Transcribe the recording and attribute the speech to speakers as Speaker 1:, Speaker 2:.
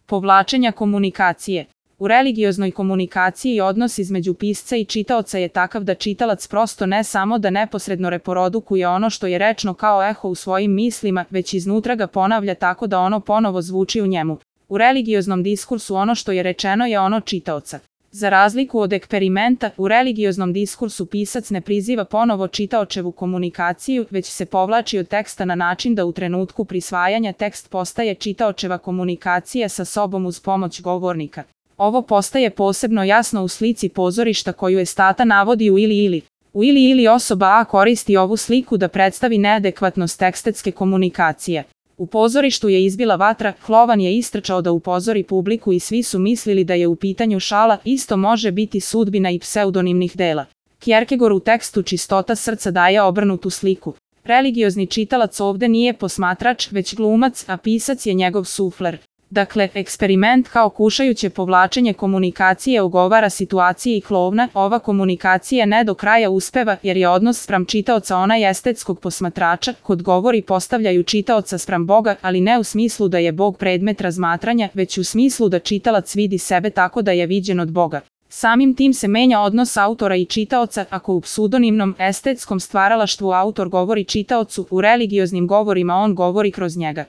Speaker 1: povlačenja komunikacije. U religioznoj komunikaciji odnos između pisca i čitaoca je takav da čitalac prosto ne samo da neposredno reprodukuje ono što je rečno kao eho u svojim mislima, već iznutra ga ponavlja tako da ono ponovo zvuči u njemu. U religioznom diskursu ono što je rečeno je ono čitaoca. Za razliku od eksperimenta, u religioznom diskursu pisac ne priziva ponovo čitaočevu komunikaciju, već se povlači od teksta na način da u trenutku prisvajanja tekst postaje čitaočeva komunikacija sa sobom uz pomoć govornika. Ovo postaje posebno jasno u slici pozorišta koju Estata navodi u Ili. U Ili osoba A koristi ovu sliku da predstavi neadekvatnost estetske komunikacije. U pozorištu je izbila vatra, Klovan je istrčao da upozori publiku i svi su mislili da je u pitanju šala, isto može biti sudbina i pseudonimnih dela. Kierkegaard u tekstu Čistota srca daje obrnutu sliku. Religiozni čitalac ovde nije posmatrač, već glumac, a pisac je njegov sufler. Dakle, eksperiment kao kušajuće povlačenje komunikacije ogovara situaciji Klovna, ova komunikacija ne do kraja uspeva jer je odnos spram čitaoca onaj estetskog posmatrača, kod govori postavljaju čitaoca spram Boga, ali ne u smislu da je Bog predmet razmatranja, već u smislu da čitalac vidi sebe tako da je viđen od Boga. Samim tim se menja odnos autora i čitaoca, ako u pseudonimnom estetskom stvaralaštvu autor govori čitaocu, u religioznim govorima on govori kroz njega.